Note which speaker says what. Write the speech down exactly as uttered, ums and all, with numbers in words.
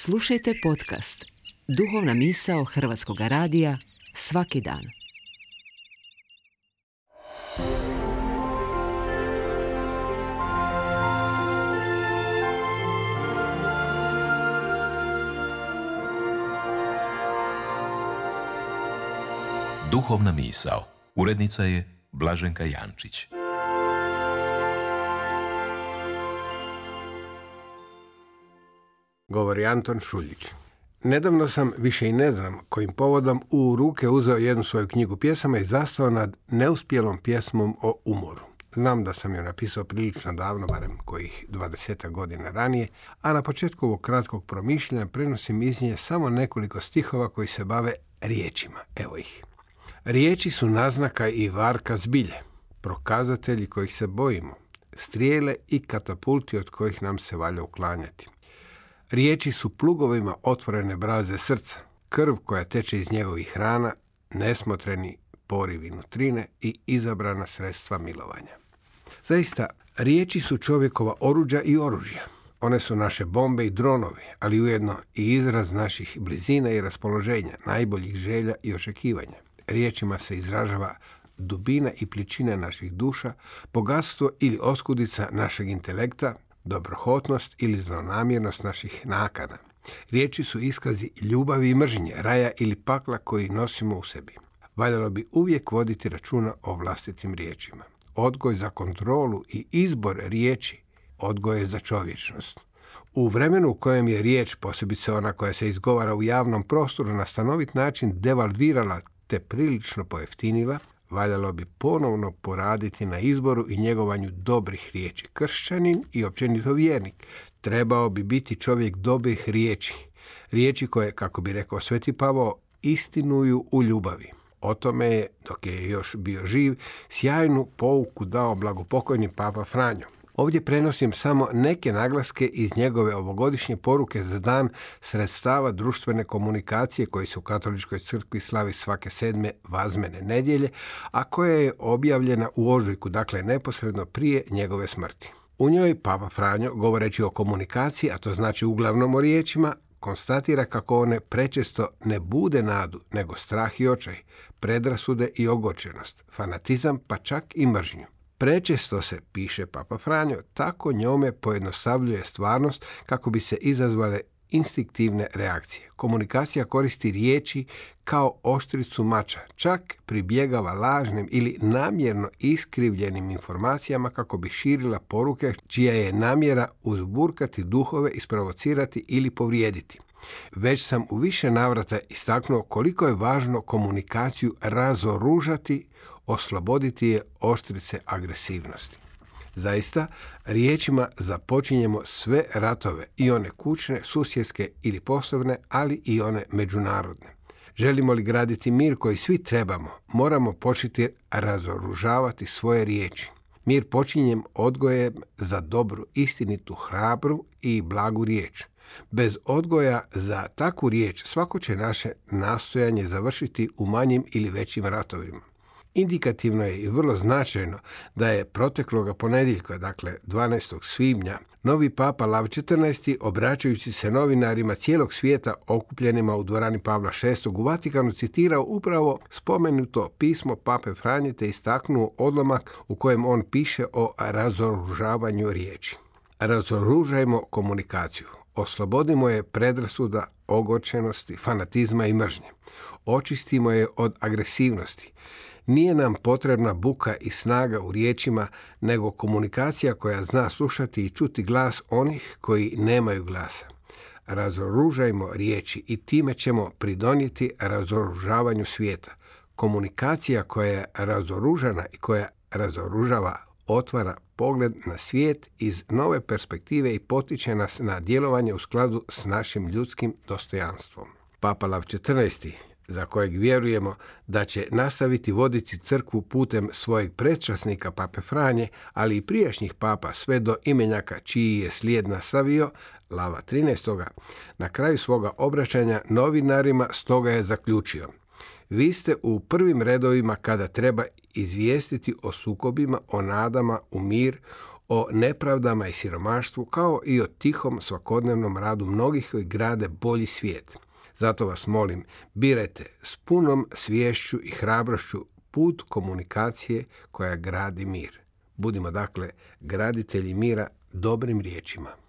Speaker 1: Slušajte podcast Duhovna misao Hrvatskog radija svaki dan.
Speaker 2: Duhovna misao. Urednica je Blaženka Jančić.
Speaker 3: Govori Anton Šuljić. Nedavno sam, više i ne znam kojim povodom, u ruke uzeo jednu svoju knjigu pjesama i zastao nad neuspjelom pjesmom o umoru. Znam da sam ju napisao prilično davno, barem kojih dvadesetak godina ranije, a na početku ovog kratkog promišljanja prenosim iz nje samo nekoliko stihova koji se bave riječima. Evo ih. Riječi su naznaka i varka zbilje, prokazatelji kojih se bojimo, strijele i katapulti od kojih nam se valja uklanjati. Riječi su plugovima otvorene braze srca, krv koja teče iz njegovih rana, nesmotreni porivi nutrine i izabrana sredstva milovanja. Zaista, riječi su čovjekova oruđa i oružja. One su naše bombe i dronovi, ali ujedno i izraz naših blizina i raspoloženja, najboljih želja i očekivanja. Riječima se izražava dubina i pličina naših duša, bogatstvo ili oskudica našeg intelekta, dobrohotnost ili zlonamjernost naših nakana. Riječi su iskazi ljubavi i mržnje, raja ili pakla koji nosimo u sebi. Valjalo bi uvijek voditi računa o vlastitim riječima. Odgoj za kontrolu i izbor riječi, odgoj je za čovječnost. U vremenu u kojem je riječ, posebice ona koja se izgovara u javnom prostoru, na stanovit način devalvirala te prilično pojeftinila, valjalo bi ponovno poraditi na izboru i njegovanju dobrih riječi. Kršćanin i općenito vjernik trebao bi biti čovjek dobrih riječi. Riječi koje, kako bi rekao Sveti Pavao, istinuju u ljubavi. O tome je, dok je još bio živ, sjajnu pouku dao blagopokojni Papa Franjo. Ovdje prenosim samo neke naglaske iz njegove ovogodišnje poruke za dan sredstava društvene komunikacije koji se u Katoličkoj crkvi slavi svake sedme vazmene nedjelje, a koja je objavljena u ožujku, dakle neposredno prije njegove smrti. U njoj Papa Franjo, govoreći o komunikaciji, a to znači uglavnom o riječima, konstatira kako one prečesto ne bude nadu, nego strah i očaj, predrasude i ogorčenost, fanatizam pa čak i mržnju. Prečesto se, piše Papa Franjo, tako njome pojednostavljuje stvarnost kako bi se izazvale instinktivne reakcije. Komunikacija koristi riječi kao oštricu mača, čak pribjegava lažnim ili namjerno iskrivljenim informacijama kako bi širila poruke čija je namjera uzburkati duhove, isprovocirati ili povrijediti. Već sam u više navrata istaknuo koliko je važno komunikaciju razoružati, osloboditi je oštrice agresivnosti. Zaista, riječima započinjemo sve ratove, i one kućne, susjedske ili poslovne, ali i one međunarodne. Želimo li graditi mir koji svi trebamo, moramo početi razoružavati svoje riječi. Mir počinjem odgojem za dobru, istinitu, hrabru i blagu riječ. Bez odgoja za takvu riječ svako će naše nastojanje završiti u manjim ili većim ratovima. Indikativno je i vrlo značajno da je protekloga ponedjeljka, dakle dvanaestog svibnja, novi papa Lav četrnaesti, obraćajući se novinarima cijelog svijeta okupljenima u dvorani Pavla šestog u Vatikanu, citirao upravo spomenuto pismo Pape Franje te istaknuo odlomak u kojem on piše o razoružavanju riječi. Razoružajmo komunikaciju. Oslobodimo je predrasuda, ogorčenosti, fanatizma i mržnje. Očistimo je od agresivnosti. Nije nam potrebna buka i snaga u riječima, nego komunikacija koja zna slušati i čuti glas onih koji nemaju glasa. Razoružajmo riječi i time ćemo pridonijeti razoružavanju svijeta. Komunikacija koja je razoružana i koja razoružava otvara pogled na svijet iz nove perspektive i potiče nas na djelovanje u skladu s našim ljudskim dostojanstvom. Papa Lav četrnaesti, za kojeg vjerujemo da će nastaviti voditi crkvu putem svojeg predčasnika Pape Franje, ali i prijašnjih papa sve do imenjaka čiji je slijed nastavio, Lava trinaestog, na kraju svoga obraćanja novinarima stoga je zaključio: vi ste u prvim redovima kada treba izvijestiti o sukobima, o nadama u mir, o nepravdama i siromaštvu, kao i o tihom svakodnevnom radu mnogih koji grade bolji svijet. Zato vas molim, birajte s punom sviješću i hrabrošću put komunikacije koja gradi mir. Budimo dakle graditelji mira dobrim riječima.